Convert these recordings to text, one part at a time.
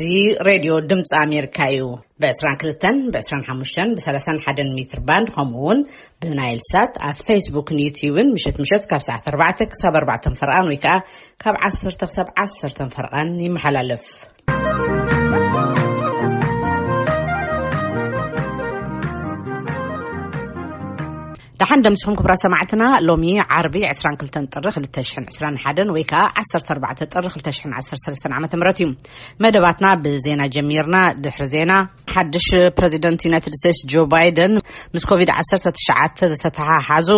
እዚ ሬድዮ ድምፂ ኣሜሪካ እዩ። ብ22፣ ብ25፣ ብ31 ሜትር ባንድ፣ ከምኡ እውን ብናይል ሳት ኣብ ፌስቡክን ዩትዩብን ምሸት ምሸት ካብ ሰዓት 4 ክሳብ 4 ፈርቓን ወይ ከዓ ካብ 10 ክሳብ 10 ፈርቓን ይመሓላለፍ። ደሓን ደምስኹም ክብራ ሰማዕትና። ሎሚ ዓርቢ 22 ጥሪ 2021 ወይ ከዓ 14 ጥሪ 2013 ዓ ም እዩ። መደባትና ብዜና ጀሚርና። ድሕሪ ዜና፣ ሓድሽ ፕረዚደንት ዩናይትድ ስቴትስ ጆ ባይደን ምስ ኮቪድ-19 ዝተተሓሓዙ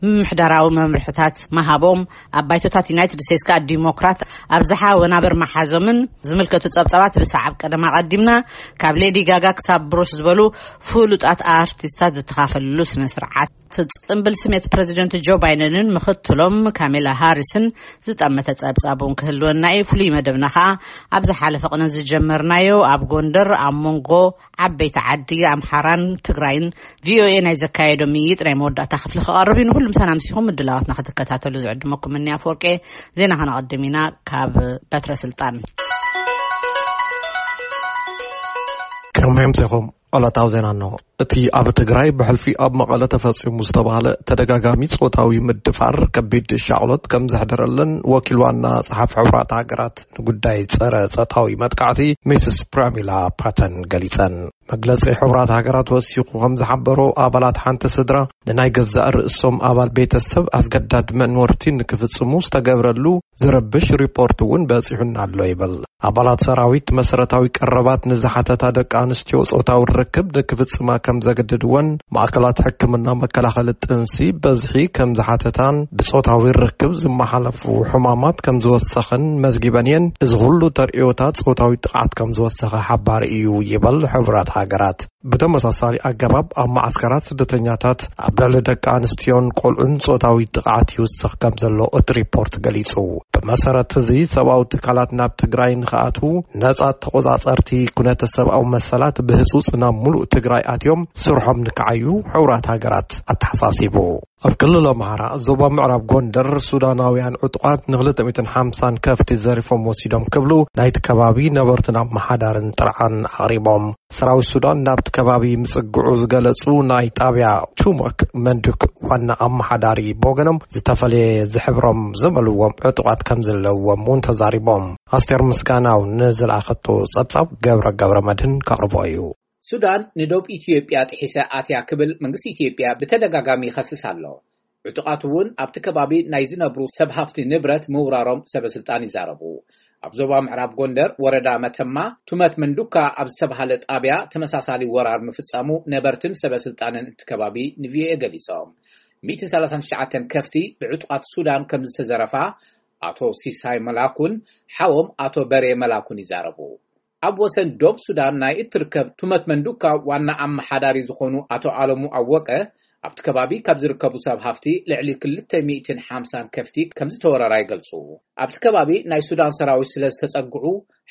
ምምሕዳራዊ መምርሕታት ምሃቦም፣ ኣብ ባይቶታት ዩናይትድ ስቴትስ ከዓ ዲሞክራት ኣብዝሓ ወናብር መሓዞምን ዝምልከቱ ጸብጻባት ብሰዓብ ቀደም ኣቐዲምና። ካብ ሌዲ ጋጋ ክሳብ ብሩስ ዝበሉ ፍሉጣት ኣርቲስታት ዝተኻፈልሉ ስነ ስርዓት፣ ጽምብል ስሜት ፕረዚደንት ጆ ባይደንን ምኽትሎም ካሜላ ሃሪስን ዝጠመተ ጸብጻብ እውን ክህልወና እዩ። ፍሉይ መደብና ከዓ ኣብ ዝሓለፈ ቅነ ዝጀመርናዮ ኣብ ጎንደር ኣብ መንጎ ዓበይቲ ዓዲ ኣምሓራን ትግራይን ቪኦኤ ናይ ዘካየዶ ምይይጥ ናይ መወዳእታ ክፍሊ ክቐርብ እዩ። ንኩሉም ሰላም ሲኹም ምድላዋትና ክትከታተሉ ዝዕድመኩም እኒ ኣፍወርቄ። ዜና ከነቐድም ኢና። ካብ በትረ ስልጣን። ከመይ ኣምሲኹም? ዕለታዊ ዜና እንሆ። እቲ ኣብ ትግራይ ብሕልፊ ኣብ መቐለ ተፈጺሙ ዝተባህለ ተደጋጋሚ ጾታዊ ምድፋር ከቢድ ሻቕሎት ከም ዘሕደረለን ወኪል ዋና ጸሓፊ ሕቡራት ሃገራት ንጉዳይ ጸረ ጾታዊ መጥቃዕቲ ሚስስ ፕራሚላ ፓተን ገሊጸን። መግለጺ ሕቡራት ሃገራት ወሲኹ ከም ዝሓበሮ፣ ኣባላት ሓንቲ ስድራ ንናይ ገዛእ ርእሶም ኣባል ቤተሰብ ኣስገዳድ መንወርቲ ንክፍጽሙ ዝተገብረሉ ዝረብሽ ሪፖርት እውን በጺሑና ኣሎ ይብል። ኣባላት ሰራዊት መሰረታዊ ቀረባት ንዝሓተታ ደቂ ኣንስትዮ ጾታዊ ርክብ ንክፍጽማ ከም ዘገድድወን ማእከላት ሕክምና መከላኸሊ ጥንሲ በዝሒ ከም ዝሓተታን ብጾታዊ ርክብ ዝመሓለፉ ሕማማት ከም ዝወሰኸን መዝጊበን እየን። እዚ ኩሉ ተርእዮታት ጾታዊ ጥቕዓት ከም ዝወሰኸ ሓባሪ እዩ ይብል ሕቡራት ሃገራት። ብተመሳሳሊ ኣገባብ ኣብ መዓስከራት ስደተኛታት ኣብ ልዕሊ ደቂ ኣንስትዮን ቆልዑን ጾታዊ ጥቕዓት ይውስኽ ከም ዘሎ እቲ ሪፖርት ገሊጹ። ብመሰረት እዚ ሰብኣዊ ትካላት ናብ ትግራይ ንኽኣትዉ ነጻ ተቖጻጸርቲ ኩነተ ሰብኣዊ መሰላት ብህጹጽ ናብ ሙሉእ ትግራይ ኣትዮም ስርሖም ንክዓዩ ሕቡራት ሃገራት ኣተሓሳሲቡ። ኣብ ክልል ኣምሓራ ዞባ ምዕራብ ጎንደር ሱዳናውያን ዕጡቓት ን250 ከፍቲ ዘሪፎም ወሲዶም ክብሉ ናይቲ ከባቢ ነበርትን ኣመሓዳርን ጥርዓን ኣቕሪቦም። ሰራዊት ሱዳን ናብቲ ከባቢ ምጽግዑ ዝገለጹ ናይ ጣብያ ቹመክ መንዱክ ዋና ኣመሓዳሪ ብወገኖም፣ ዝተፈለየ ዝሕብሮም ዝበልዎም ዕጡቓት ከም ዘለዎም እውን ተዛሪቦም። ኣስቴር ምስጋናው ንዝለኣኸቶ ጸብጻብ ገብረ ገብረ መድህን ከቕርቦ እዩ። ሱዳን ንዶብ ኢትዮጵያ ጥሒሰ ኣትያ ክብል መንግስቲ ኢትዮጵያ ብተደጋጋሚ ይኸስስ ኣሎ። ዕጡቓት እውን ኣብቲ ከባቢ ናይ ዝነብሩ ሰብ ሃፍቲ ንብረት ምውራሮም ሰበ ስልጣን ይዛረቡ። ኣብ ዞባ ምዕራብ ጎንደር ወረዳ መተማ ቱመት መንዱካ ኣብ ዝተባሃለ ጣብያ ተመሳሳሊ ወራር ምፍጻሙ ነበርትን ሰበ ስልጣንን እቲ ከባቢ ንቪኦኤ ገሊጾም። 139 ከፍቲ ብዕጡቓት ሱዳን ከም ዝተዘረፋ ኣቶ ሲሳይ መላኩን ሓዎም ኣቶ በሬ መላኩን ይዛረቡ። ኣብ ወሰን ዶብ ሱዳን ናይ እትርከብ ቱመት መንዱካ ዋና ኣመሓዳሪ ዝኾኑ ኣቶ ኣለሙ ኣወቀ፣ ኣብቲ ከባቢ ካብ ዝርከቡ ሰብ ሃፍቲ ልዕሊ 250 ከፍቲ ከም ዝተወረራ ይገልጹ። ኣብቲ ከባቢ ናይ ሱዳን ሰራዊት ስለ ዝተጸግዑ፣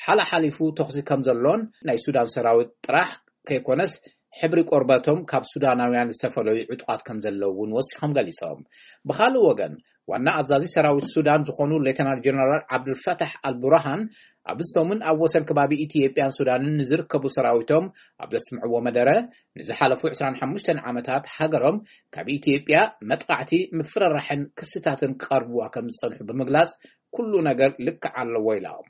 ሓላሓሊፉ ተኹሲ ከም ዘሎን ናይ ሱዳን ሰራዊት ጥራሕ ከይኮነስ ሕብሪ ቆርበቶም ካብ ሱዳናውያን ዝተፈለዩ ዕጡቓት ከም ዘለዉ እውን ወሲኾም ገሊጾም። ብኻልእ ወገን፣ ዋና ኣዛዚ ሰራዊት ሱዳን ዝኾኑ ሌተናል ጀነራል ዓብዱልፈታሕ ኣልቡርሃን ኣብዚ ሰሙን ኣብ ወሰን ከባቢ ኢትዮጵያን ሱዳንን ንዝርከቡ ሰራዊቶም ኣብ ዘስምዕዎ መደረ፣ ንዝሓለፉ 25 ዓመታት ሃገሮም ካብ ኢትዮጵያ መጥቃዕቲ፣ ምፍርራሕን ክስታትን ክቐርብዋ ከም ዝጸንሑ ብምግላጽ፣ ኩሉ ነገር ልክዕ ኣለዎ ኢሎም።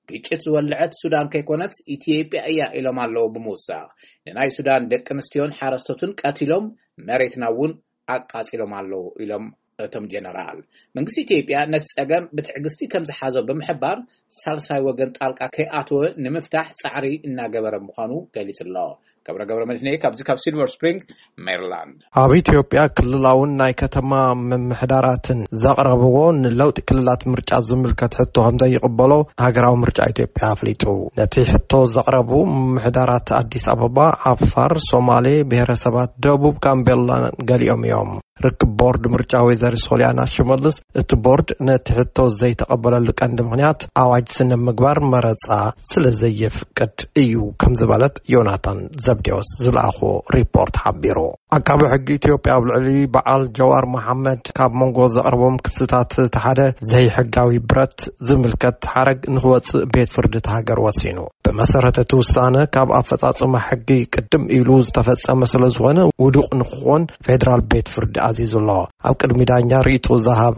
ግጭት ዝወልዐት ሱዳን ከይኮነትስ ኢትዮጵያ እያ ኢሎም ኣለዉ ብምውሳኽ፣ ንናይ ሱዳን ደቂ ኣንስትዮን ሓረስቶትን ቀቲሎም፣ መሬትና እውን ኣቃጺሎም ኣለዉ ኢሎም እቶም ጀነራል። መንግስቲ ኢትዮጵያ ነቲ ጸገም ብትዕግስቲ ከም ዝሓዞ ብምሕባር፣ ሳልሳይ ወገን ጣልቃ ከይኣተወ ንምፍታሕ ጻዕሪ እናገበረ ምዃኑ ገሊጹ ኣሎ። ገብረ ገብረ መድህን እየ፣ ካብዚ ካብ ሲልቨር ስፕሪንግ ሜሪላንድ። ኣብ ኢትዮጵያ ክልላውን ናይ ከተማ ምምሕዳራትን ዘቕረብዎ ንለውጢ ክልላት ምርጫ ዝምልከት ሕቶ ከም ዘይቕበሎ ሃገራዊ ምርጫ ኢትዮጵያ ኣፍሊጡ። ነቲ ሕቶ ዘቕረቡ ምምሕዳራት ኣዲስ ኣበባ፣ ዓፋር፣ ሶማሌ፣ ብሔረሰባት ደቡብ፣ ጋምቤላን ገሊኦም እዮም። ርክብ ቦርድ ምርጫ ወይዘሪት ሶሊያና ሽመልስ፣ እቲ ቦርድ ነቲ ሕቶ ዘይተቐበለሉ ቀንዲ ምኽንያት ኣዋጅ ስነ ምግባር መረጻ ስለ ዘየፍቅድ እዩ ከም ዝበለት ዮናታን ዘብዴዎስ ዝለኣኾ ሪፖርት ሓቢሩ። ኣቃቢ ሕጊ ኢትዮጵያ ኣብ ልዕሊ በዓል ጀዋር መሓመድ ካብ መንጎ ዘቕረቦም ክስታት እቲ ሓደ ዘይሕጋዊ ብረት ዝምልከት ሓረግ ንክወጽእ ቤት ፍርዲ እቲ ሃገር ወሲኑ። ብመሰረት እቲ ውሳነ ካብ ኣፈጻጽማ ሕጊ ቅድም ኢሉ ዝተፈጸመ ስለ ዝኾነ ውዱቕ ንክኾን ፌደራል ቤት ፍርዲ ኣዚዙ ኣሎ። ኣብ ቅድሚ ዳኛ ርእይቶ ዝሃቡ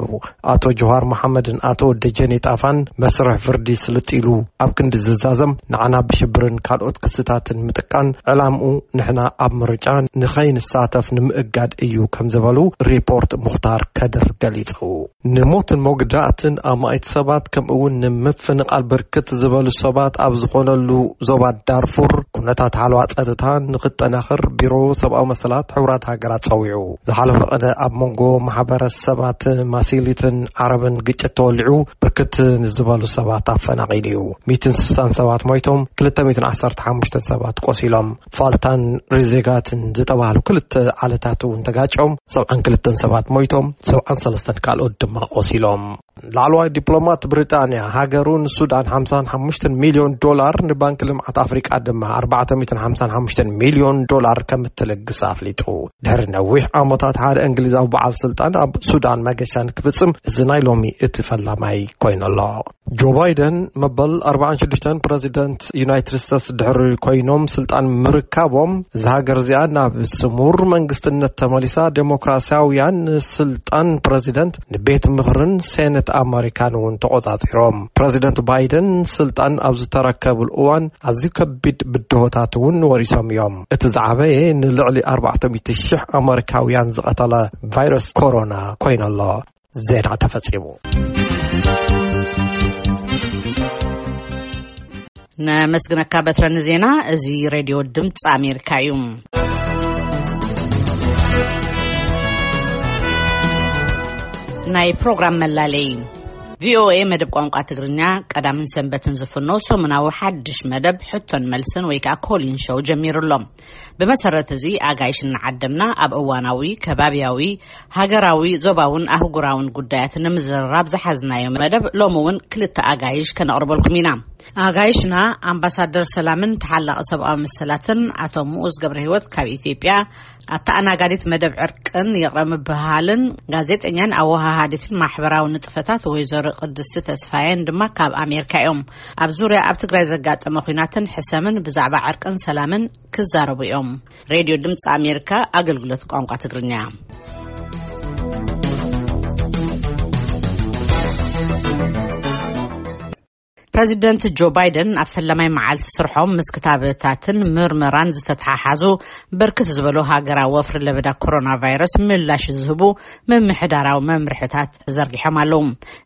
ኣቶ ጀዋር መሓመድን ኣቶ ደጀኔ ጣፋን መስርሕ ፍርዲ ስልጥ ኢሉ ኣብ ክንዲ ዝዛዘም ንዓና ብሽብርን ካልኦት ክስታትን ምጥቃን ዕላምኡ ንሕና ኣብ ምርጫ ንኸይንሳተፍ ንምእጋድ እዩ ከም ዝበሉ ሪፖርት ሙኽታር ከድር ገሊጹ። ንሞትን መጉዳእትን ኣማኢት ሰባት ከምኡ እውን ንምፍንቓል ብርክት ዝበሉ ሰባት ኣብ ዝኾነሉ ዞባ ዳርፉር ኩነታት ሓለዋ ጸጥታ ንኽጠናኸር ቢሮ ሰብኣዊ መሰላት ሕቡራት ሃገራት ጸዊዑ። ዝሓለፈ ቅነ ኣብ መንጎ ማሕበረሰባት ማሲሊትን ዓረብን ግጭት ተወሊዑ ብርክት ንዝበሉ ሰባት ኣፈናቒሉ እዩ። ሚእትን ስሳን ሰባት ሞይቶም፣ ክልተ ሚእትን ዓሰርተ ሓሙሽተን ሰባት ቆሲሎም። ፋልታን ሪዜጋትን ዝተባህሉ ክልተ ዓለታት እውን ተጋጭዮም፣ ሰብዓን ክልተን ሰባት ሞይቶም፣ ሰብዓን ሰለስተን ካልኦት ድማ ቆሲሎም። ላዕለዋይ ዲፕሎማት ብሪጣንያ፣ ሃገሩ ንሱዳን ሓምሳን ሓሙሽተን ሚልዮን ዶላር፣ ንባንክ ልምዓት ኣፍሪቃ ድማ ኣርባዕተ ሚእትን ሓምሳን ሓሙሽተን ሚልዮን ዶላር ከም እትልግስ ኣፍሊጡ። ድሕሪ ነዊሕ ዓመታት፣ ሓደ እንግሊዛዊ በዓል ስልጣን ኣብ ሱዳን መገሻ ንክፍጽም፣ እዚ ናይ ሎሚ እቲ ፈላማይ ኮይኑ ኣሎ። ጆ ባይደን መበል ኣርባዓን ሽዱሽተን ፕረዚደንት ዩናይትድ ስቴትስ ድሕሪ ኮይኖም ስልጣን ምርካቦም፣ እዛ ሃገር እዚኣ ናብ ስሙር መንግስትነት ተመሊሳ፣ ዴሞክራሲያውያን ንስልጣን ፕረዚደንት፣ ንቤት ምኽርን ሴኔት ኣመሪካን እውን ተቖጻጺሮም። ፕረዚደንት ባይደን ስልጣን ኣብ ዝተረከብሉ እዋን ኣዝዩ ከቢድ ብድሆታት እውን ወሪሶም እዮም። እቲ ዝዓበየ ንልዕሊ ኣርባዕተ ሚእቲ ሺሕ ኣመሪካውያን ዝቐተለ ቫይረስ ኮሮና ኮይኑ ኣሎ። ዜና ተፈጺሙ። ነመስግነካ በትረ ንዜና። እዚ ሬድዮ ድምፂ ኣሜሪካ እዩ። ናይ ፕሮግራም መላለይ። ቪኦኤ መደብ ቋንቋ ትግርኛ ቀዳምን ሰንበትን ዝፍኖ ሰሙናዊ ሓድሽ መደብ ሕቶን መልስን ወይ ከዓ ኮሊን ሾው ጀሚሩ ኣሎ። ብመሰረት እዚ ኣጋይሽ እናዓደምና ኣብ እዋናዊ፣ ከባብያዊ፣ ሃገራዊ፣ ዞባውን ኣህጉራውን ጉዳያት ንምዝርራብ ዝሓዝናዮ መደብ ሎሚ እውን ክልተ ኣጋይሽ ከነቕርበልኩም ኢና። ኣጋይሽና ኣምባሳደር ሰላምን ተሓላቒ ሰብኣዊ መሰላትን ኣቶ ምኡዝ ገብረ ህይወት ካብ ኢትዮጵያ፣ ኣተኣናጋዲት መደብ ዕርቅን ይቕረ ምብህሃልን ጋዜጠኛን ኣወሃሃዲትን ማሕበራዊ ንጥፈታት ወይዘሮ ቅድስቲ ተስፋየን ድማ ካብ ኣሜሪካ እዮም። ኣብ ዙርያ ኣብ ትግራይ ዘጋጠመ ኲናትን ሕሰምን ብዛዕባ ዕርቅን ሰላምን ክዛረቡ እዮም። ሬድዮ ድምፂ ኣሜሪካ ኣገልግሎት ቋንቋ ትግርኛ። ፕረዚደንት ጆ ባይደን ኣብ ፈለማይ መዓልቲ ስርሖም ምስ ክታበታትን ምርመራን ዝተተሓሓዙ ብርክት ዝበሉ ሃገራዊ ወፍሪ ለበዳ ኮሮና ቫይረስ ምላሽ ዝህቡ ምምሕዳራዊ መምርሕታት ዘርጊሖም ኣለዉ።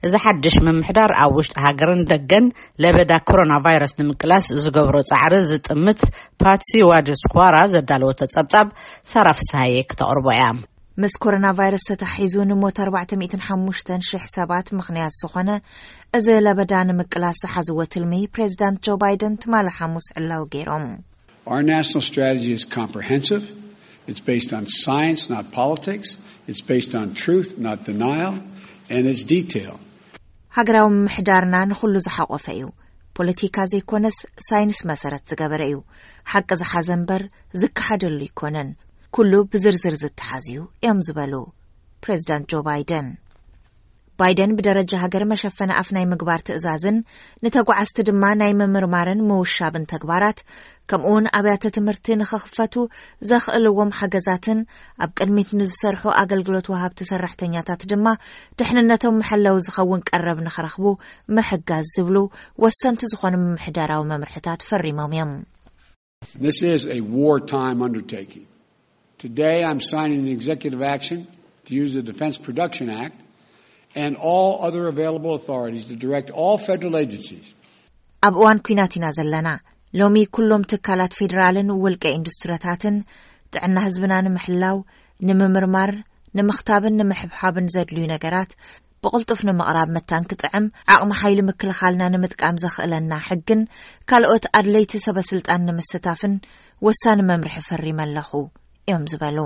እዚ ሓድሽ ምምሕዳር ኣብ ውሽጢ ሃገርን ደገን ለበዳ ኮሮና ቫይረስ ንምቅላስ ዝገብሮ ጻዕሪ ዝጥምት ፓትሲ ዋድስኳራ ዘዳለወቶ ጸብጻብ ሳራ ፍስሃየ ክተቕርቦ እያ። ምስ ኮሮና ቫይረስ ተታሒዙ ንሞት ኣርባዕተ ሚእትን ሓሙሽተን ሽሕ ሰባት ምኽንያት ዝኾነ እዚ ለበዳ ንምቅላስ ዝሓዝዎ ትልሚ ፕሬዚዳንት ጆ ባይደን ትማሊ ሓሙስ ዕላዊ ገይሮም። Our national strategy is comprehensive. It's based on science, not politics. It's based on truth, not denial. And it's detailed. ሃገራዊ ምምሕዳርና ንኹሉ ዝሓቆፈ እዩ። ፖለቲካ ዘይኮነስ ሳይንስ መሰረት ዝገበረ እዩ። ሓቂ ዝሓዘ እምበር ዝከሓደሉ ኣይኮነን። ኩሉ ብዝርዝር ዝተሓዝ እዩ እዮም ዝበሉ ፕሬዚዳንት ጆ ባይደን። ባይደን ብደረጃ ሃገር መሸፈኒ ኣፍ ናይ ምግባር ትእዛዝን ንተጓዓዝቲ ድማ ናይ ምምርማርን ምውሻብን ተግባራት ከምኡውን ኣብያተ ትምህርቲ ንኽኽፈቱ ዘኽእልዎም ሓገዛትን ኣብ ቅድሚት ንዝሰርሑ ኣገልግሎት ወሃብቲ ሰራሕተኛታት ድማ ድሕንነቶም መሐለዊ ዝኸውን ቀረብ ንኽረኽቡ ምሕጋዝ ዝብሉ ወሰንቲ ዝኾኑ ምምሕዳራዊ መምርሕታት ፈሪሞም እዮም። This is a wartime undertaking. Today I'm signing an executive action to use the Defense Production Act and all other available authorities to direct all federal agencies. ኣብ እዋን ኲናት ኢና ዘለና። ሎሚ ኩሎም ትካላት ፌዴራልን ውልቀ ኢንዱስትሪታትን ጥዕና ህዝብና ንምሕላው፣ ንምምርማር፣ ንምኽታብን ንምሕብሓብን ዘድልዩ ነገራት ብቕልጡፍ ንምቕራብ መታን ክጥዕም ዓቕሚ ሓይሊ ምክልኻልና ንምጥቃም ዘኽእለና ሕግን ካልኦት ኣድለይቲ ሰበ ስልጣን ንምስታፍን ወሳኒ መምርሒ ፈሪመ ኣለኹ እዮም ዝበሉ።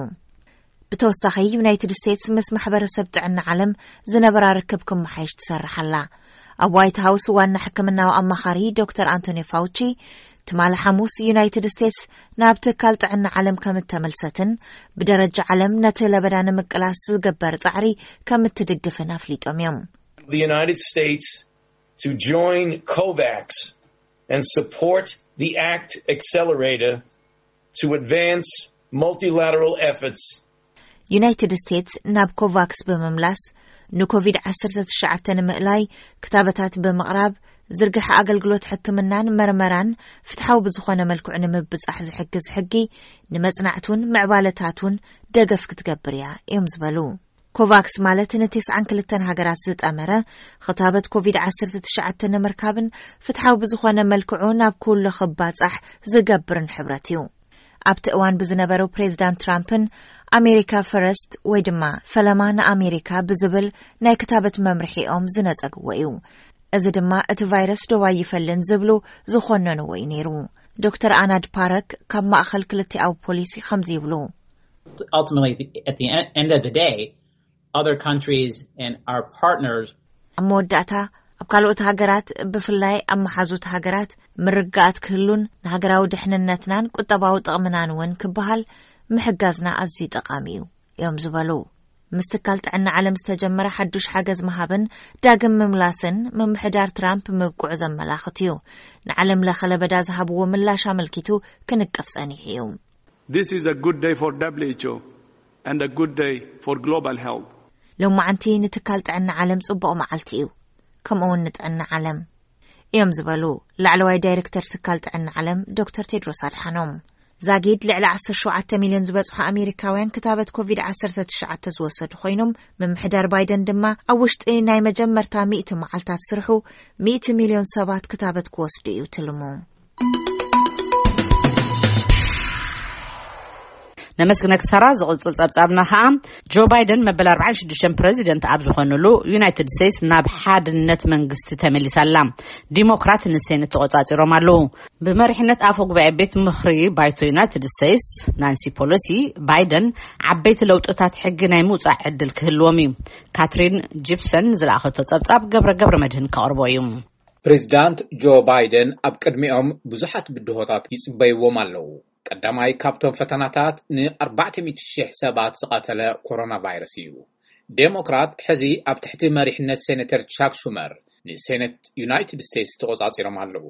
ብተወሳኺ፣ ዩናይትድ ስቴትስ ምስ ማሕበረሰብ ጥዕና ዓለም ዝነበራ ርክብ ክመሓየሽ ትሰርሕ ኣላ። ኣብ ዋይት ሃውስ ዋና ሕክምናዊ ኣማኻሪ ዶክተር ኣንቶኒ ፋውቺ፣ ትማሊ ሓሙስ ዩናይትድ ስቴትስ ናብ ትካል ጥዕና ዓለም ከም እተመልሰትን ብደረጃ ዓለም ነቲ ለበዳ ንምቅላስ ዝግበር ጻዕሪ ከም እትድግፍን ኣፍሊጦም እዮም። The United States to join COVAX and support the ACT accelerator to advance multilateral efforts. ዩናይትድ ስቴትስ ናብ ኮቫክስ ብምምላስ ንኮቪድ ዓሰርተ ትሽዓተ ንምእላይ ክታበታት ብምቕራብ፣ ዝርግሐ ኣገልግሎት ሕክምናን መርመራን ፍትሓዊ ብዝኾነ መልክዑ ንምብጻሕ ዝሕግዝ ሕጊ፣ ንመጽናዕቱን ምዕባለታቱን ደገፍ ክትገብር እያ እዮም ዝበሉ። ኮቫክስ ማለት ንተስዓን ክልተን ሃገራት ዝጠመረ ክታበት ኮቪድ ዓሰርተ ትሽዓተ ንምርካብን ፍትሓዊ ብዝኾነ መልክዑ ናብ ኩሉ ክባጻሕ ዝገብርን ሕብረት እዩ። ኣብቲ እዋን ብዝነበሩ ፕሬዚዳንት ትራምፕን ኣሜሪካ ፈረስት ወይ ድማ ፈለማ ንኣሜሪካ ብዝብል ናይ ክታበት መምርሒኦም ዝነጸግዎ እዩ። እዚ ድማ እቲ ቫይረስ ዶብ ኣይፈልን ዝብሉ ዝኾነንዎ እዩ ነይሩ። ዶክተር ኣናድ ፓረክ ካብ ማእኸል ክልቲኣዊ ፖሊሲ ከምዚ ይብሉ። Ultimately, at the end of the day, other countries and our partners ኣብ መወዳእታ፣ ኣብ ካልኦት ሃገራት፣ ብፍላይ ኣብ መሓዙት ሃገራት ምርግጋኣት ክህሉን ንሃገራዊ ድሕንነትናን ቁጠባዊ ጥቕምናን እውን ክበሃል ምሕጋዝና ኣዝዩ ጠቓሚ እዩ እዮም ዝበሉ። ምስ ትካል ጥዕና ዓለም ዝተጀመረ ሓዱሽ ሓገዝ ምሃብን ዳግም ምምላስን ምምሕዳር ትራምፕ ምብቅዑ ዘመላኽት እዩ። ንዓለም ለኸ ለበዳ ዝሃብዎ ምላሽ ኣመልኪቱ ክንቅፍ ጸኒሑ እዩ። This is a good day for W H O and a good day for global health. ሎማዓንቲ ንትካል ጥዕና ዓለም ጽቡቕ መዓልቲ እዩ፣ ከምኡ እውን ንጥዕና ዓለም እዮም ዝበሉ ላዕለዋይ ዳይሬክተር ትካል ጥዕና ዓለም ዶክተር ቴድሮስ ኣድሓኖም። ዛጊድ ልዕሊ ዓሰርተ ሸውዓተ ሚልዮን ዝበጽሑ ኣሜሪካውያን ክታበት ኮቪድ ዓሰርተ ትሽዓተ ዝወሰዱ ኮይኖም፣ ምምሕዳር ባይደን ድማ ኣብ ውሽጢ ናይ መጀመርታ ሚእቲ መዓልታት ስርሑ ሚእቲ ሚልዮን ሰባት ክታበት ክወስዱ እዩ ትልሙ። ነመስግነክ ሳራ። ዝቕጽል ጸብጻብና ከኣ፣ ጆ ባይደን መበል ኣርባዓን ሽዱሽተን ፕረዚደንት ኣብ ዝኾንሉ፣ ዩናይትድ ስቴትስ ናብ ሓድነት መንግስቲ ተመሊሳ ኣላ። ዲሞክራት ንሴኔት ተቖጻጺሮም ኣለዉ። ብመሪሕነት ኣፈ ጉባኤ ቤት ምኽሪ ባይቶ ዩናይትድ ስቴትስ ናንሲ ፖሎሲ፣ ባይደን ዓበይቲ ለውጥታት ሕጊ ናይ ምውጻእ ዕድል ክህልዎም እዩ። ካትሪን ጂፕሰን ዝለኣኸቶ ጸብጻብ ገብረ ገብረ መድህን ከቕርቦ እዩ። ፕሬዚዳንት ጆ ባይደን ኣብ ቅድሚኦም ብዙሓት ብድሆታት ይጽበይዎም ኣለዉ። ቀዳማይ ካብቶም ፈተናታት ን ኣርባዕተ ሚእቲ ሽሕ ሰባት ዝቐተለ ኮሮና ቫይረስ እዩ። ዴሞክራት ሕዚ ኣብ ትሕቲ መሪሕነት ሴኔተር ቻክ ሹመር ንሴኔት ዩናይትድ ስቴትስ ተቖጻጺሮም ኣለዉ።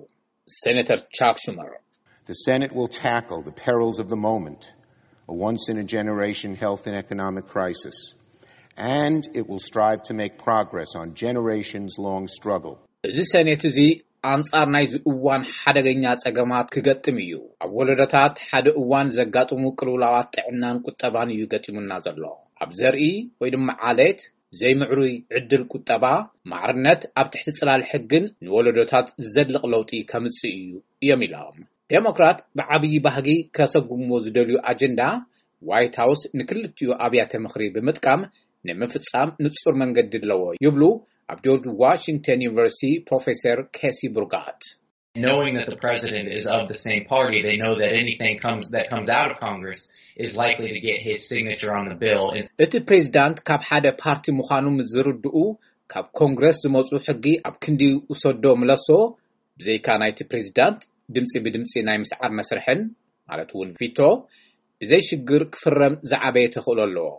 ሴኔተር ቻክ ሹመር The Senate will tackle the perils of the moment, a once in a generation health and economic crisis, and it will strive to make progress on generations long struggle. እዚ ሴኔት እዚ ኣንጻር ናይዚ እዋን ሓደገኛ ጸገማት ክገጥም እዩ። ኣብ ወለዶታት ሓደ እዋን ዘጋጥሙ ቅልውላዋት ጥዕናን ቁጠባን እዩ ገጢሙና ዘሎ። ኣብ ዘርኢ ወይ ድማ ዓሌት ዘይምዕሩይ ዕድል ቁጠባ፣ ማዕርነት ኣብ ትሕቲ ጽላል ሕግን ንወለዶታት ዘድልቕ ለውጢ ከምጽእ እዩ እዮም ኢሎም። ዴሞክራት ብዓብዪ ባህጊ ከሰጉምዎ ዝደልዩ ኣጀንዳ ዋይት ሃውስ ንክልቲኡ ኣብያተ ምኽሪ ብምጥቃም ንምፍጻም ንጹር መንገዲ ኣለዎ ይብሉ ኣብ ጆርጅ ዋሽንግተን ዩኒቨርሲቲ ፕሮፌሰር ኬሲ ብሩጋት። Knowing that the president is of the same party, they know that anything comes that comes out of Congress is likely to get his signature on the bill. And እቲ ፕሬዚዳንት ካብ ሓደ ፓርቲ ምዃኑ ምስ ዝርድኡ ካብ ኮንግረስ ዝመፁ ሕጊ ኣብ ክንዲ ውሰዶ ምለሶ ብዘይካ ናይቲ ፕሬዚዳንት ድምፂ ብድምፂ ናይ ምስዓር መስርሕን ማለት እውን ቪቶ ብዘይ ሽግር ክፍረም ዝዓበየ ተኽእሎ ኣለዎ።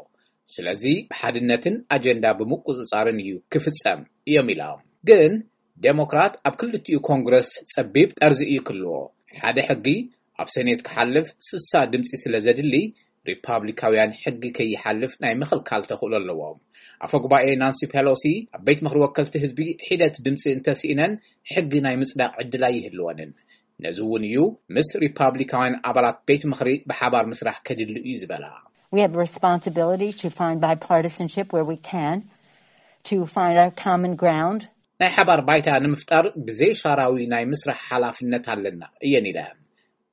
ስለዚ ብሓድነትን ኣጀንዳ ብምቁፅፃርን እዩ ክፍፀም እዮም ኢሎም። ግን ዴሞክራት ኣብ ክልቲኡ ኮንግረስ ጸቢብ ጠርዚ እዩ ክልዎ። ሓደ ሕጊ ኣብ ሰኔት ክሓልፍ ስሳ ድምፂ ስለ ዘድሊ ሪፓብሊካውያን ሕጊ ከይሓልፍ ናይ ምኽልካል ተኽእሎ ኣለዎም። ኣፈ ጉባኤ ናንሲ ፔሎሲ ኣብ ቤት ምኽሪ ወከልቲ ህዝቢ ሒደት ድምፂ እንተስኢነን ሕጊ ናይ ምፅዳቕ ዕድል ኣይህልወንን። ነዚ እውን እዩ ምስ ሪፓብሊካውያን ኣባላት ቤት ምኽሪ ብሓባር ምስራሕ ከድሊ እዩ ዝበላ። We have a responsibility to find bipartisanship where we can, to find our common ground. ናይ ሓባር ባይታ ንምፍጣር ብዘይሻራዊ ናይ ምስራሕ ሓላፍነት ኣለና እየን ኢለ።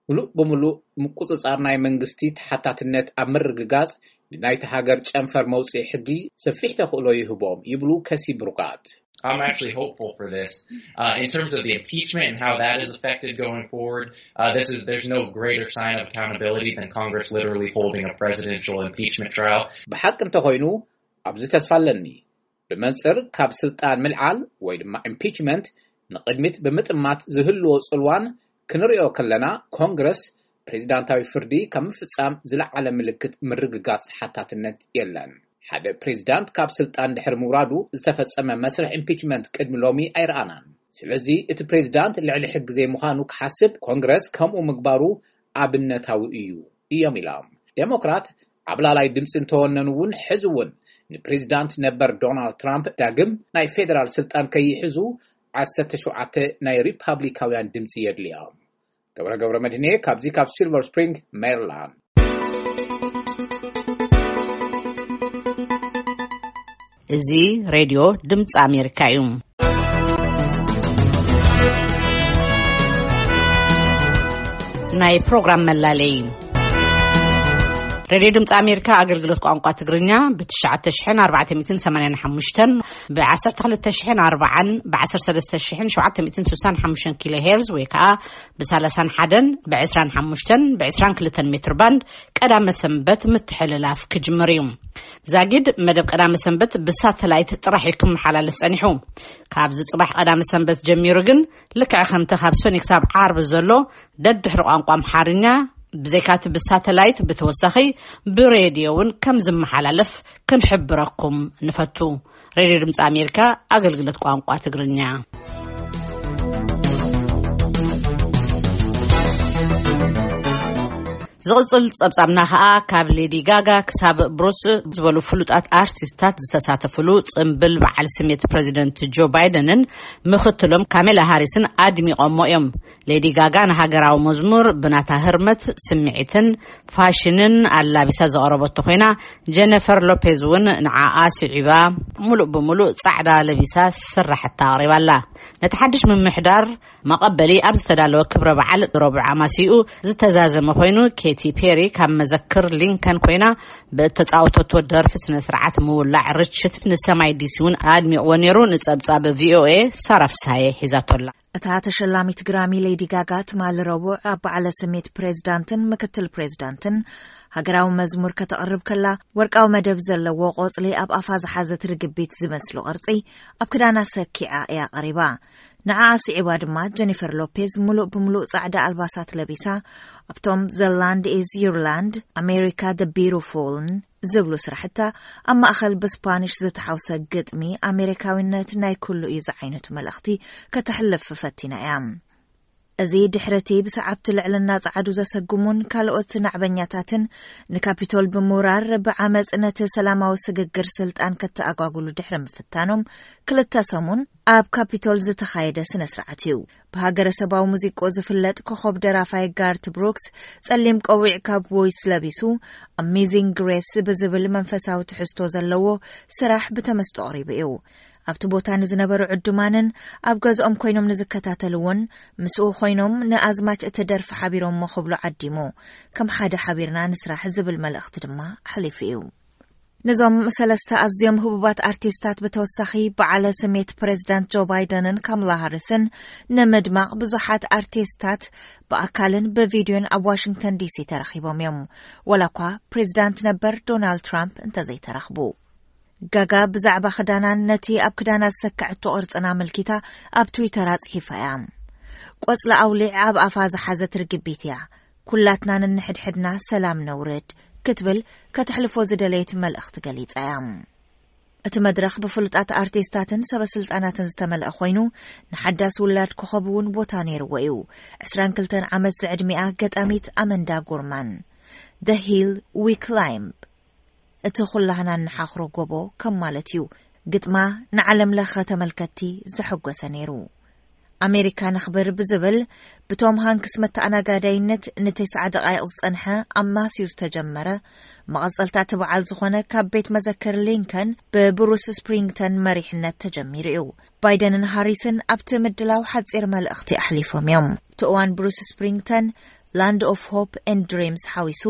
ሙሉእ ብምሉእ ምቁፅፃር ናይ መንግስቲ ተሓታትነት ኣብ ምርግጋፅ ንናይቲ ሃገር ጨንፈር መውፅኢ ሕጊ ሰፊሕ ተኽእሎ ይህቦም ይብሉ ከሲ ብሩጋት። I'm actually hopeful for this. Uh, in terms of the impeachment and how that is affected going forward, uh, this is there's no greater sign of accountability than Congress literally holding a presidential impeachment trial. ብሓቂ እንተኾይኑ ኣብዚ ተስፋ ኣለኒ። ብመንጽር ካብ ስልጣን ምልዓል ወይ ድማ ኢምፒችመንት ንቕድሚት ብምጥማት ዝህልዎ ጽልዋን ክንሪኦ ከለና፣ ኮንግረስ ፕሬዚዳንታዊ ፍርዲ ካብ ምፍጻም ዝለዓለ ምልክት ምርግጋጽ ሓታትነት የለን። ሓደ ፕሬዚዳንት ካብ ስልጣን ድሕሪ ምውራዱ ዝተፈጸመ መስርሕ ኢምፒችመንት ቅድሚ ሎሚ ኣይረኣናን። ስለዚ እቲ ፕሬዚዳንት ልዕሊ ሕጊ ዘይምዃኑ ክሓስብ ኮንግረስ ከምኡ ምግባሩ ኣብነታዊ እዩ እዮም ኢሎም። ዴሞክራት ዓብላላይ ድምፂ እንተወነኑ እውን፣ ሕዚ እውን ንፕሬዚዳንት ነበር ዶናልድ ትራምፕ ዳግም ናይ ፌዴራል ስልጣን ከይሕዙ ዓሰርተ ሸውዓተ ናይ ሪፓብሊካውያን ድምፂ የድልዮም። ገብረ ገብረ መድህኔ ካብዚ ካብ ሲልቨር ስፕሪንግ ሜሪላንድ። እዚ ሬድዮ ድምፂ ኣሜሪካ እዩ። ናይ ፕሮግራም መላለይ። ሬድዮ ድምፂ ኣሜሪካ ኣገልግሎት ቋንቋ ትግርኛ ብ ትሽዓተ ሽሕን ኣርባዕተ ሚእትን ሰማንያን ሓሙሽተን፣ ብ ዓሰርተ ክልተ ሽሕን ኣርባዓን፣ ብ ዓሰርተ ሰለስተ ሽሕን ሸውዓተ ሚእትን ስሳን ሓሙሽተን ኪሎ ሄርዝ ወይ ከዓ ብ ሰላሳን ሓደን፣ ብ ዕስራን ሓሙሽተን፣ ብ ዕስራን ክልተን ሜትር ባንድ ቀዳመ ሰንበት ምትሕልላፍ ክጅምር እዩ። ዛጊድ መደብ ቀዳመ ሰንበት ብሳተላይት ጥራሕ እዩ ክመሓላለፍ ጸኒሑ። ካብዚ ጽባሕ ቀዳመ ሰንበት ጀሚሩ ግን ልክዕ ከምቲ ካብ ሰኒ ክሳብ ዓርቢ ዘሎ ደድሕሪ ቋንቋ ኣምሓርኛ ብዘይካቲ ብሳተላይት ብተወሳኺ ብሬድዮ እውን ከም ዝመሓላለፍ ክንሕብረኩም ንፈቱ። ሬድዮ ድምፂ ኣሜሪካ ኣገልግሎት ቋንቋ ትግርኛ። ዝቕጽል ጸብጻብና ኸኣ ካብ ሌዲ ጋጋ ክሳብ ብሩስ ዝበሉ ፍሉጣት ኣርቲስታት ዝተሳተፍሉ ጽምብል በዓል ስሜት ፕሬዚደንት ጆ ባይደንን ምኽትሎም ካሜላ ሃሪስን ኣድሚቖሞ እዮም። ሌዲ ጋጋ ንሃገራዊ መዝሙር ብናታ ህርመት፣ ስምዒትን ፋሽንን ኣላቢሳ ዘቕረበቶ ኮይና፣ ጀነፈር ሎፔዝ እውን ንዓኣ ስዒባ ምሉእ ብምሉእ ጻዕዳ ለቢሳ ስራሕታ ኣቕሪባላ። ነቲ ሓድሽ ምምሕዳር መቐበሊ ኣብ ዝተዳለወ ክብረ በዓል ረቡዕ ኣማሲኡ ዝተዛዘመ ኮይኑ፣ ኬቲ ፔሪ ካብ መዘክር ሊንከን ኮይና ብእተጻወተቶ ደርፊ ስነ ስርዓት ምውላዕ ርችት ንሰማይ ዲሲ እውን ኣድሚቕዎ ነይሩ። ንጸብጻብ ቪኦኤ ሳራ ፍስሃየ ሒዛቶላ። እታ ተሸላሚት ግራሚ ሌዲ ጋጋ ትማሊ ረቡዕ ኣብ በዓለ ስሜት ፕሬዝዳንትን ምክትል ፕሬዝዳንትን ሃገራዊ መዝሙር ከተቕርብ ከላ፣ ወርቃዊ መደብ ዘለዎ ቆጽሊ ኣብ ኣፋ ዝሓዘት ርግቢት ዝመስሉ ቅርጺ ኣብ ክዳና ሰኪዓ እያ ቀሪባ። ንዓኣ ስዒባ ድማ ጀኒፈር ሎፔዝ ምሉእ ብምሉእ ጻዕዳ ኣልባሳት ለቢሳ፣ ኣብቶም The Land Is Your Land፣ ኣሜሪካ The Beautifulን ዝብሉ ስራሕታ፣ ኣብ ማእኸል ብስፓኒሽ ዝተሓውሰ ግጥሚ ኣሜሪካዊነት ናይ ኩሉ እዩ ዝዓይነቱ መልእኽቲ ከተሕልፍ ፈቲና እያ። እዚ ድሕሪ እቲ ብሰዓብቲ ልዕልና ጸዓዱ ዘሰጉሙን ካልኦት ናዕበኛታትን ንካፒቶል ብምውራር ብዓመጽ ነቲ ሰላማዊ ስግግር ስልጣን ከተኣጓጉሉ ድሕሪ ምፍታኖም ክልተ ሰሙን ኣብ ካፒቶል ዝተኻየደ ስነ ስርዓት እዩ። ብሃገረሰባዊ ሙዚቆ ዝፍለጥ ኮኸብ ደራፋይ ጋርት ብሩክስ ጸሊም ቆዊዕ ካውቦይስ ለቢሱ፣ ኣሜዚንግ ግሬስ ብዝብል መንፈሳዊ ትሕዝቶ ዘለዎ ስራሕ ብተመስጦ ኣቕሪቡ እዩ። ኣብቲ ቦታ ንዝነበሩ ዕዱማንን ኣብ ገዝኦም ኮይኖም ንዝከታተልዎን ምስኡ ኮይኖም ንኣዝማች እቲ ደርፊ ሓቢሮሞ ክብሉ ዓዲሙ፣ ከም ሓደ ሓቢርና ንስራሕ ዝብል መልእኽቲ ድማ ኣሕሊፉ እዩ። ነዞም ሰለስተ ኣዝዮም ህቡባት ኣርቲስታት ብተወሳኺ በዓለ ስሜት ፕሬዝዳንት ጆ ባይደንን ካምላ ሃሪስን ንምድማቕ ብዙሓት ኣርቲስታት ብኣካልን ብቪድዮን ኣብ ዋሽንግተን ዲሲ ተረኺቦም እዮም። ወላ እኳ ፕሬዝዳንት ነበር ዶናልድ ትራምፕ እንተዘይተረኽቡ። ጋጋ ብዛዕባ ክዳናን ነቲ ኣብ ክዳና ዝሰከዐቶ ቅርጽን ኣመልኪታ ኣብ ትዊተር ኣጽሒፋ እያ። ቆጽሊ ኣውሊዕ ኣብ ኣፋ ዝሓዘት ርግቢት እያ። ኩላትና ንንሕድሕድና ሰላም ነውርድ ክትብል ከተሕልፎ ዝደለየት መልእኽቲ ገሊጻ እያ። እቲ መድረኽ ብፍሉጣት ኣርቲስታትን ሰበስልጣናትን ዝተመልአ ኮይኑ፣ ንሓዳስ ውላድ ኮኸብ እውን ቦታ ነይርዎ እዩ። ዕስራን ክልተን ዓመት ዝዕድሚኣ ገጣሚት ኣመንዳ ጉርማን፣ The Hill We Climb፣ እቲ ኩላህና እንሓኽሮ ጎቦ ከም ማለት እዩ። ግጥማ ንዓለም ለኸ ተመልከትቲ ዘሐጎሰ ነይሩ። ኣሜሪካ ነኽብር ብዝብል ብቶም ሃንክስ መተኣናጋዳይነት ንተስዓ ደቓይቕ ዝጸንሐ ኣማስዩ ዝተጀመረ፣ መቐጸልታ እቲ በዓል ዝኾነ ካብ ቤት መዘክር ሊንከን ብብሩስ ስፕሪንግተን መሪሕነት ተጀሚሩ እዩ። ባይደንን ሃሪስን ኣብቲ ምድላው ሓጺር መልእኽቲ ኣሕሊፎም እዮም። እቲ እዋን ብሩስ ስፕሪንግተን ላንድ ኦፍ ሆፕ ኤንድ ድሪምስ ሓዊሱ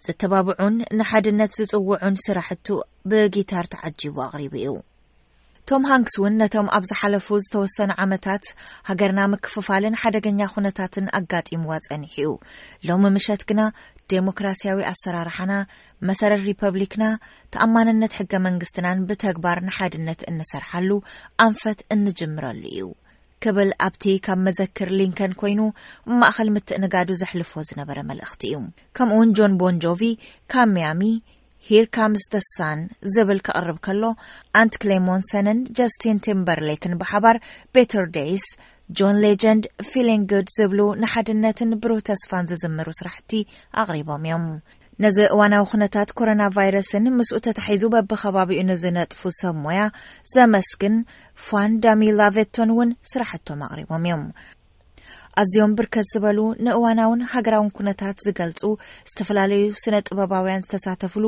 ዘተባብዑን ንሓድነት ዝጽውዑን ስራሕቱ ብጊታር ተዓጂቡ ኣቕሪቡ እዩ። ቶም ሃንክስ እውን ነቶም ኣብ ዝሓለፉ ዝተወሰኑ ዓመታት ሃገርና ምክፍፋልን ሓደገኛ ኩነታትን ኣጋጢምዋ ጸኒሑ እዩ። ሎሚ ምሸት ግና ዴሞክራሲያዊ ኣሰራርሓና፣ መሰረት ሪፐብሊክና፣ ተኣማንነት ሕገ መንግስትናን ብተግባር ንሓድነት እንሰርሓሉ ኣንፈት እንጅምረሉ እዩ ክብል ኣብቲ ካብ መዘክር ሊንከን ኮይኑ ማእኸል ምትእንጋዱ ዘሕልፎ ዝነበረ መልእኽቲ እዩ። ከምኡውን ጆን ቦን ጆቪ ካብ ሚያሚ ሂር ካምስ ደ ሳን ዝብል ከቕርብ ከሎ፣ ኣንት ክሌሞንሰንን ጀስቲን ቲምበርሌክን ብሓባር ቤተር ዴይስ፣ ጆን ሌጀንድ፣ ፊሊንግ ጉድ ዝብሉ ንሓድነትን ብሩህ ተስፋን ዝዝምሩ ስራሕቲ ኣቕሪቦም እዮም። ነዚ እዋናዊ ኩነታት ኮሮና ቫይረስን ምስኡ ተታሒዙ በብኸባቢኡ ንዝነጥፉ ሰብ ሞያ ዘመስግን ፋን ዳሚ ላቬቶን እውን ስራሕቶም ኣቕሪቦም እዮም። ኣዝዮም ብርከት ዝበሉ ንእዋናውን ሃገራውን ኩነታት ዝገልጹ ዝተፈላለዩ ስነ ጥበባውያን ዝተሳተፍሉ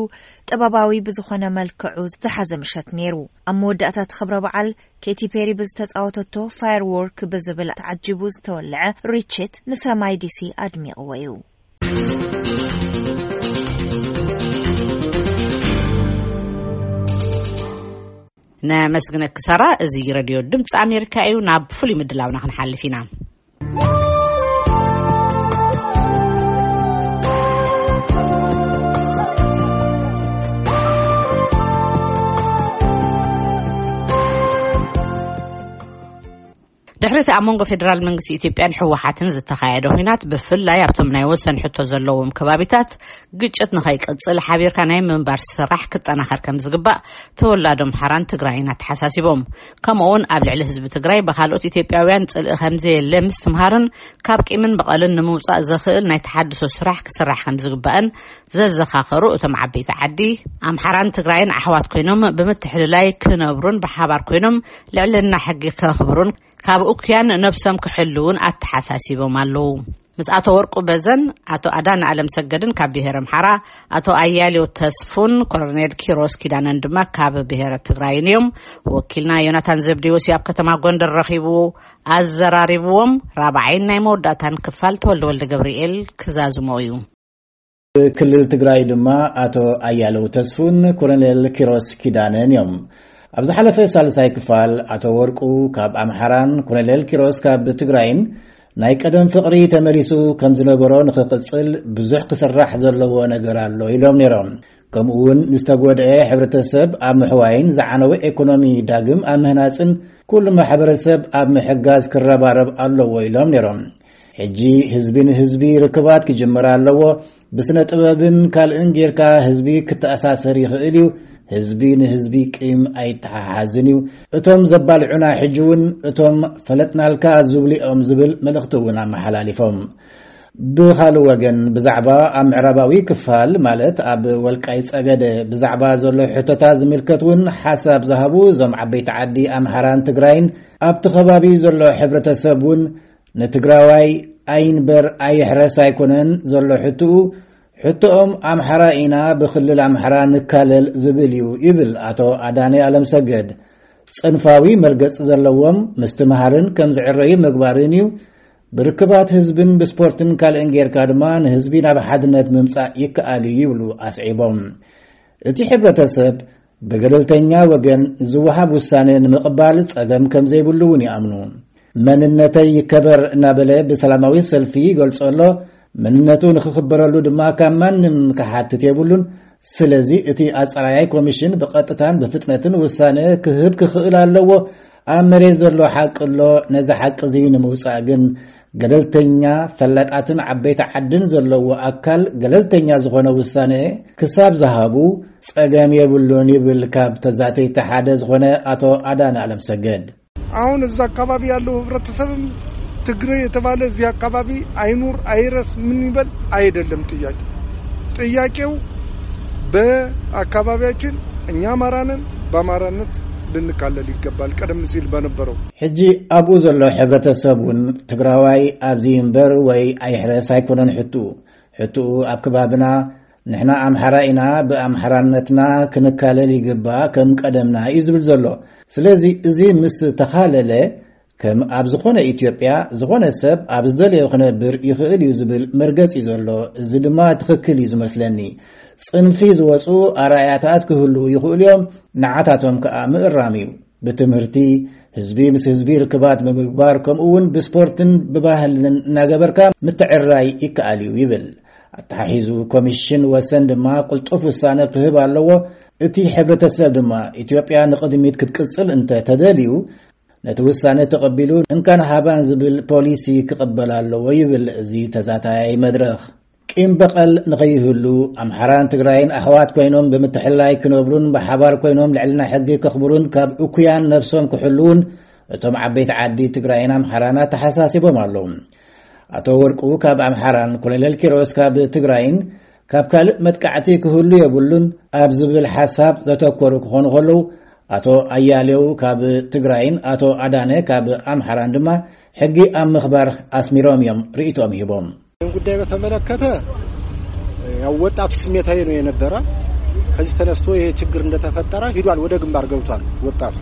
ጥበባዊ ብዝኾነ መልክዑ ዝሓዘ ምሸት ነይሩ። ኣብ መወዳእታ እቲ ክብረ በዓል ኬቲ ፔሪ ብዝተጻወተቶ ፋየር ዎርክ ብዝብል ተዓጂቡ ዝተወልዐ ሪችት ንሰማይ ዲሲ ኣድሚቕዎ እዩ። ነመስግነኪ ሳራ። እዚ ረድዮ ድምፂ ኣሜሪካ እዩ። ናብ ፍሉይ ምድላውና ክንሓልፍ ኢና። ድሕሪ እቲ ኣብ መንጎ ፌደራል መንግስቲ ኢትዮጵያን ህወሓትን ዝተኻየደ ኲናት፣ ብፍላይ ኣብቶም ናይ ወሰን ሕቶ ዘለዎም ከባቢታት ግጭት ንኸይቅጽል ሓቢርካ ናይ ምንባር ስራሕ ክጠናኸር ከም ዝግባእ ተወላዶ ኣምሓራን ትግራይን ኣተሓሳሲቦም። ከምኡ እውን ኣብ ልዕሊ ህዝቢ ትግራይ ብኻልኦት ኢትዮጵያውያን ጽልኢ ከም ዘየለ ምስትምሃርን ካብ ቂምን በቐልን ንምውጻእ ዘኽእል ናይ ተሓድሶ ስራሕ ክስራሕ ከም ዝግባእን ዘዘኻኸሩ እቶም ዓበይቲ ዓዲ፣ ኣምሓራን ትግራይን ኣሕዋት ኮይኖም ብምትሕልላይ ክነብሩን ብሓባር ኮይኖም ልዕልና ሕጊ ከኽብሩን ካብ እኩያን ነብሶም ክሕልውን ኣተሓሳሲቦም ኣለዉ። ምስ ኣቶ ወርቁ በዘን፣ ኣቶ ኣዳነ ኣለም ሰገድን ካብ ብሄረ ኣምሓራ፣ ኣቶ ኣያሌው ተስፉን ኮሎኔል ኪሮስ ኪዳነን ድማ ካብ ብሄረ ትግራይን እዮም። ወኪልና ዮናታን ዘብዴዎስ ኣብ ከተማ ጎንደር ረኺቡ ኣዘራሪብዎም። ራብዓይን ናይ መወዳእታን ክፋል ተወልደ ወልደ ገብርኤል ክዛዝሞ እዩ። ክልል ትግራይ ድማ ኣቶ ኣያለው ተስፉን ኮሎኔል ኪሮስ ኪዳነን እዮም። ኣብ ዝሓለፈ ሳልሳይ ክፋል ኣቶ ወርቁ ካብ ኣምሓራን ኮሎኔል ኪሮስ ካብ ትግራይን ናይ ቀደም ፍቕሪ ተመሊሱ ከም ዝነበሮ ንኽቕጽል ብዙሕ ክስራሕ ዘለዎ ነገር ኣሎ ኢሎም ነይሮም። ከምኡ እውን ንዝተጎድአ ሕብረተሰብ ኣብ ምሕዋይን ዝዓነወ ኢኮኖሚ ዳግም ኣብ ምህናጽን ኩሉ ማሕበረሰብ ኣብ ምሕጋዝ ክረባረብ ኣለዎ ኢሎም ነይሮም። ሕጂ ህዝቢ ንህዝቢ ርክባት ክጅምር ኣለዎ። ብስነ ጥበብን ካልእን ጌርካ ህዝቢ ክተኣሳሰር ይኽእል እዩ። ህዝቢ ንህዝቢ ቂም ኣይተሓሓዝን እዩ። እቶም ዘባልዑና ሕጂ እውን እቶም ፈለጥናልካ ዝብሉ እዮም ዝብል መልእኽቲ እውን ኣመሓላሊፎም። ብኻልእ ወገን ብዛዕባ ኣብ ምዕራባዊ ክፋል ማለት ኣብ ወልቃይ ጸገደ ብዛዕባ ዘሎ ሕቶታት ዝምልከት እውን ሓሳብ ዝሃቡ እዞም ዓበይቲ ዓዲ ኣምሓራን ትግራይን ኣብቲ ከባቢ ዘሎ ሕብረተሰብ እውን ንትግራዋይ ኣይንበር ኣይሕረስ ኣይኮነን ዘሎ ሕትኡ፣ ሕቶኦም ኣምሓራ ኢና ብክልል ኣምሓራ ንካለል ዝብል እዩ ይብል ኣቶ ኣዳነ ኣለምሰገድ። ጽንፋዊ መርገጽ ዘለዎም ምስትምሃርን ከም ዝዕረዩ ምግባርን እዩ። ብርክባት ህዝብን ብስፖርትን ካልእን ጌርካ ድማ ንህዝቢ ናብ ሓድነት ምምጻእ ይከኣል እዩ ይብሉ ኣስዒቦም። እቲ ሕብረተሰብ ብገለልተኛ ወገን ዝወሃብ ውሳነ ንምቕባል ጸገም ከም ዘይብሉ እውን ይኣምኑ። መንነተይ ይከበር እናበለ ብሰላማዊ ሰልፊ ይገልጾ ኣሎ። መንነቱ ንኽኽበረሉ ድማ ካብ ማንም ክሓትት የብሉን። ስለዚ እቲ ኣጻራያይ ኮሚሽን ብቐጥታን ብፍጥነትን ውሳነ ክህብ ክኽእል ኣለዎ። ኣብ መሬት ዘሎ ሓቂ ኣሎ። ነዚ ሓቂ እዚ ንምውጻእ ግን ገለልተኛ ፈላጣትን ዓበይቲ ዓድን ዘለዎ ኣካል ገለልተኛ ዝኾነ ውሳነ ክሳብ ዝሃቡ ጸገም የብሉን ይብል ካብ ተዛተይቲ ሓደ ዝኾነ ኣቶ ኣዳነ ኣለምሰገድ። አሁን እዛ አካባቢ ያለው ህብረተሰብም ትግሬ የተባለ እዚህ አካባቢ አይኑር አይረስ ምን ይበል አይደለም ጥያቄው። ጥያቄው በአካባቢያችን እኛ አማራ ነን፣ በአማራነት ልንካለል ይገባል። ቀደም ሲል በነበረው ሕጂ ኣብኡ ዘሎ ሕብረተሰብ እውን ትግራዋይ ኣብዚ እምበር ወይ ኣይሕረስ ኣይኮነን ሕትኡ። ሕትኡ ኣብ ከባብና ንሕና ኣምሓራ ኢና፣ ብኣምሓራነትና ክንካለል ይግባእ ከም ቀደምና እዩ ዝብል ዘሎ። ስለዚ እዚ ምስ ተኻለለ ከም ኣብ ዝኾነ ኢትዮጵያ ዝኾነ ሰብ ኣብ ዝደለዮ ክነብር ይኽእል እዩ ዝብል መርገጺ ዘሎ። እዚ ድማ ትኽክል እዩ ዝመስለኒ። ጽንፊ ዝወጹ ኣርኣያታት ክህልዉ ይኽእሉ እዮም፣ ንዓታቶም ከኣ ምእራም እዩ። ብትምህርቲ፣ ህዝቢ ምስ ህዝቢ ርክባት ብምግባር፣ ከምኡ እውን ብስፖርትን ብባህልን እናገበርካ ምትዕርራይ ይከኣል እዩ ይብል። ኣተሓሒዙ፣ ኮሚሽን ወሰን ድማ ቅልጡፍ ውሳነ ክህብ ኣለዎ። እቲ ሕብረተሰብ ድማ፣ ኢትዮጵያ ንቕድሚት ክትቅጽል እንተ ተደልዩ፣ ነቲ ውሳነ ተቐቢሉ እንካን ሃባን ዝብል ፖሊሲ ክቕበል ኣለዎ ይብል እዚ ተዛታያይ መድረኽ። ቂም በቐል ንኸይህሉ፣ ኣምሓራን ትግራይን ኣሕዋት ኮይኖም ብምትሕልላይ ክነብሩን ብሓባር ኮይኖም ልዕልና ሕጊ ከኽብሩን ካብ እኩያን ነብሶም ክሕልውን እቶም ዓበይቲ ዓዲ ትግራይን ኣምሓራን ኣተሓሳሲቦም ኣለዉ። ኣቶ ወርቁ ካብ ኣምሓራን ኮሎኔል ኪሮስ ካብ ትግራይን ካብ ካልእ መጥቃዕቲ ክህሉ የብሉን ኣብ ዝብል ሓሳብ ዘተኮሩ ክኾኑ ከለዉ፣ ኣቶ ኣያሌው ካብ ትግራይን ኣቶ ኣዳነ ካብ ኣምሓራን ድማ ሕጊ ኣብ ምኽባር ኣስሚሮም እዮም ርእይቶም ሂቦም። ይህን ጉዳይ በተመለከተ ያው ወጣቱ ስሜታዊ ነው የነበረ። ከዚህ ተነስቶ ይሄ ችግር እንደተፈጠረ ሂዷል፣ ወደ ግንባር ገብቷል ወጣቱ።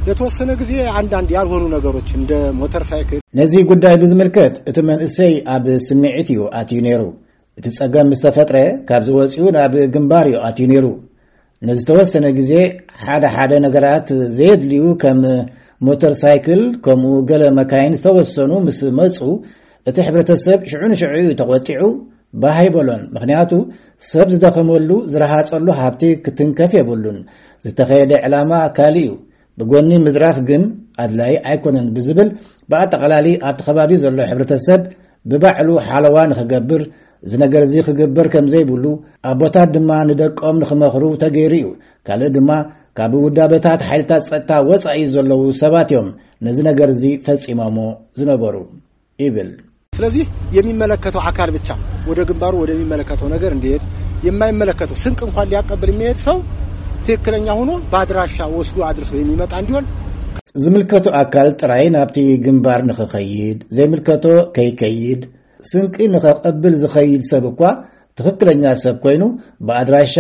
ለተወሰነ ጊዜ አንዳንድ ያልሆኑ ነገሮች እንደ ሞተር ሳይክል ነዚ ጉዳይ ብዝምልከት፣ እቲ መንእሰይ ኣብ ስምዒት እዩ ኣትዩ ነይሩ። እቲ ጸገም ምስ ተፈጥረ፣ ካብዚ ወጺኡ ናብ ግንባር እዩ ኣትዩ ነይሩ። ንዝተወሰነ ግዜ ሓደ ሓደ ነገራት ዘየድልዩ፣ ከም ሞተር ሳይክል፣ ከምኡ ገለ መካይን ዝተወሰኑ ምስ መጹ፣ እቲ ሕብረተሰብ ሽዑ ንሽዑ እዩ ተቖጢዑ፣ ባህ ኣይበሎን። ምኽንያቱ፣ ሰብ ዝደኸመሉ፣ ዝረሃጸሉ ሃብቲ ክትንከፍ የብሉን። ዝተኸየደ ዕላማ ካልእ እዩ። ብጎኒ ምዝራፍ ግን ኣድላይ ኣይኮነን ብዝብል፣ ብኣጠቓላሊ ኣብቲ ከባቢ ዘሎ ሕብረተሰብ ብባዕሉ ሓለዋ ንኽገብር፣ እዚ ነገር እዚ ክግበር ከም ዘይብሉ፣ ኣቦታት ድማ ንደቆም ንኽመኽሩ ተገይሩ እዩ። ካልእ ድማ፣ ካብ ውዳበታት ሓይልታት ጸጥታ ወጻኢ ዘለዉ ሰባት እዮም ነዚ ነገር እዚ ፈጺሞሞ ዝነበሩ ይብል። ስለዚህ የሚመለከተው አካል ብቻ ወደ ግንባሩ ወደሚመለከተው ነገር እንዲሄድ፣ የማይመለከተው ስንቅ እንኳን ሊያቀብል የሚሄድ ሰው ትክክለኛ ሆኖ በአድራሻ ወስዶ አድርሶ የሚመጣ እንዲሆን ዝምልከቶ ኣካል ጥራይ ናብቲ ግንባር ንኽኸይድ፣ ዘይምልከቶ ከይከይድ፣ ስንቂ ንኸቐብል ዝኸይድ ሰብ እኳ ትኽክለኛ ሰብ ኮይኑ፣ ብኣድራሻ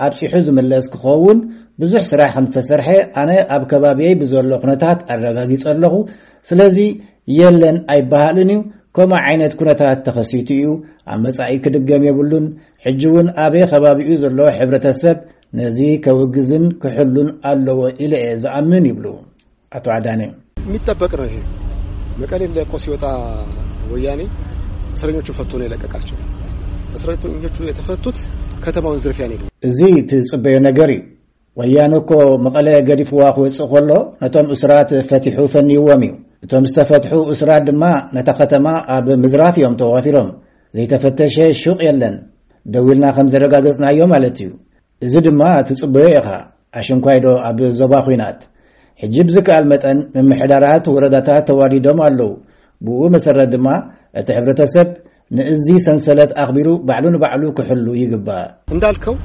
ኣብጺሑ ዝምለስ ክኸውን ብዙሕ ስራሕ ከም ዝተሰርሐ ኣነ ኣብ ከባቢየይ ብዘሎ ኩነታት ኣረጋጊጸ ኣለኹ። ስለዚ የለን ኣይበሃልን እዩ። ከምኡ ዓይነት ኩነታት ተኸሲቱ እዩ። ኣብ መጻኢ ክድገም የብሉን። ሕጂ እውን ኣበይ ከባቢኡ ዘሎ ሕብረተሰብ ነዚ ከውግዝን ክሕሉን ኣለዎ ኢለ እየ ዝኣምን ይብሉ ኣቶ ኣዳነ። የሚጠበቅ ነው ይሄ። መቀሌ ለቆ ሲወጣ ወያኔ እስረኞቹ ፈቶ ነው የለቀቃቸው። እስረኞቹ የተፈቱት ከተማውን ዝርፊያ ነው። እዚ ትጽበዮ ነገር እዩ። ወያነ እኮ መቐለ ገዲፍዋ ክወጽእ ከሎ ነቶም እስራት ፈቲሑ ፈንይዎም እዩ። እቶም ዝተፈትሑ እስራት ድማ ነታ ከተማ ኣብ ምዝራፍ እዮም ተዋፊሮም። ዘይተፈተሸ ሹቕ የለን። ደው ኢልና ከም ዘረጋገጽናዮ ማለት እዩ። እዚ ድማ ትጽበዮ ኢኻ። ኣሽንኳይዶ ኣብ ዞባ ኹናት። ሕጂ ብዝከኣል መጠን ምምሕዳራት ወረዳታት ተዋዲዶም ኣለዉ። ብኡ መሰረት ድማ እቲ ሕብረተሰብ ንእዚ ሰንሰለት ኣኽቢሩ ባዕሉ ንባዕሉ ክሕሉ ይግባእ። እንዳልከው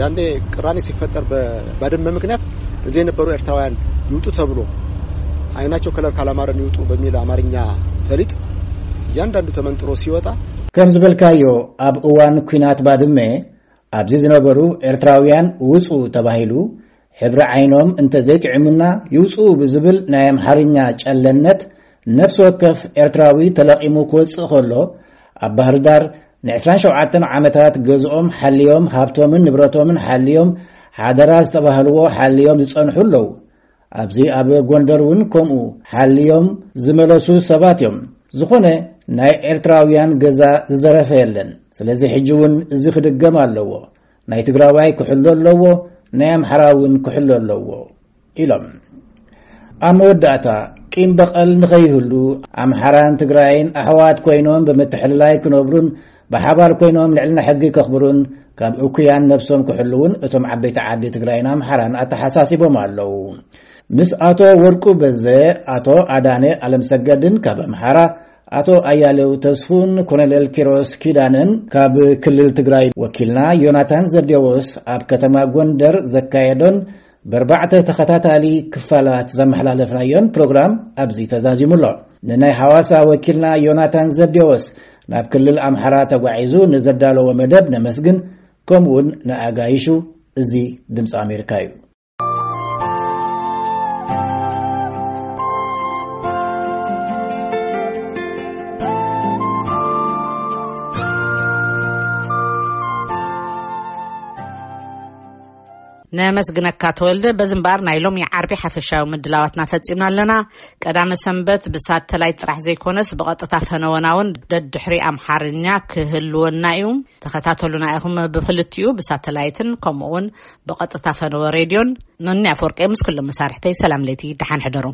ያኔ ቅራኔ ሲፈጠር በባድመ ምክንያት እዚህ የነበሩ ኤርትራውያን ይውጡ ተብሎ አይናቸው ከለር ካላማረን ይውጡ በሚል አማርኛ ፈሊጥ እያንዳንዱ ተመንጥሮ ሲወጣ ከም ዝበልካዮ ኣብ እዋን ኲናት ባድመ ኣብዚ ዝነበሩ ኤርትራውያን ውጹ ተባሂሉ ሕብሪ ዓይኖም እንተዘይጥዕሙና ይውጽኡ ብዝብል ናይ ኣምሓርኛ ጨለነት ነፍሲ ወከፍ ኤርትራዊ ተለቒሙ ክወጽእ ከሎ ኣብ ባህር ዳር ን27 ዓመታት ገዝኦም ሓልዮም ሃብቶምን ንብረቶምን ሓልዮም ሓደራ ዝተባህልዎ ሓልዮም ዝጸንሑ ኣለዉ። ኣብዚ ኣብ ጎንደር እውን ከምኡ ሓልዮም ዝመለሱ ሰባት እዮም። ዝኾነ ናይ ኤርትራውያን ገዛ ዝዘረፈ የለን። ስለዚ ሕጂ እውን እዚ ክድገም ኣለዎ። ናይ ትግራዋይ ክሕሎ ኣለዎ፣ ናይ ኣምሓራ እውን ክሕሎ ኣለዎ ኢሎም። ኣብ መወዳእታ ቂም በቐል ንኸይህሉ ኣምሓራን ትግራይን ኣሕዋት ኮይኖም ብምትሕልላይ ክነብሩን ብሓባር ኮይኖም ልዕልና ሕጊ ከኽብሩን ካብ እኩያን ነብሶም ክሕልውን እቶም ዓበይቲ ዓዲ ትግራይን ኣምሓራን ኣተሓሳሲቦም ኣለዉ። ምስ ኣቶ ወርቁ በዘ፣ ኣቶ ኣዳነ ኣለምሰገድን ካብ ኣምሓራ፣ ኣቶ ኣያሌው ተስፉን ኮሎኔል ኪሮስ ኪዳነን ካብ ክልል ትግራይ ወኪልና ዮናታን ዘብዴዎስ ኣብ ከተማ ጎንደር ዘካየዶን ብኣርባዕተ ተኸታታሊ ክፋላት ዘመሓላለፍናዮን ፕሮግራም ኣብዚ ተዛዚሙ ኣሎ። ንናይ ሓዋሳ ወኪልና ዮናታን ዘብዴዎስ ናብ ክልል ኣምሓራ ተጓዒዙ ንዘዳለዎ መደብ ነመስግን። ከምኡውን ንኣጋይሹ። እዚ ድምፂ ኣሜሪካ እዩ። ነመስግነካ ተወልደ። በዚ እምበኣር ናይ ሎሚ ዓርቢ ሓፈሻዊ ምድላዋትና ፈጺምና ኣለና። ቀዳመ ሰንበት ብሳተላይት ጥራሕ ዘይኮነስ ብቐጥታ ፈነወና እውን ደድሕሪ ኣምሓርኛ ክህልወና እዩ። ተኸታተሉና ኢኹም፣ ብክልቲኡ ብሳተላይትን ከምኡ እውን ብቐጥታ ፈነወ ሬድዮን። ኖኒ ኣፈወርቂ ምስ ኩሎም መሳርሕተይ ሰላም ለይቲ፣ ደሓን ሕደሩ።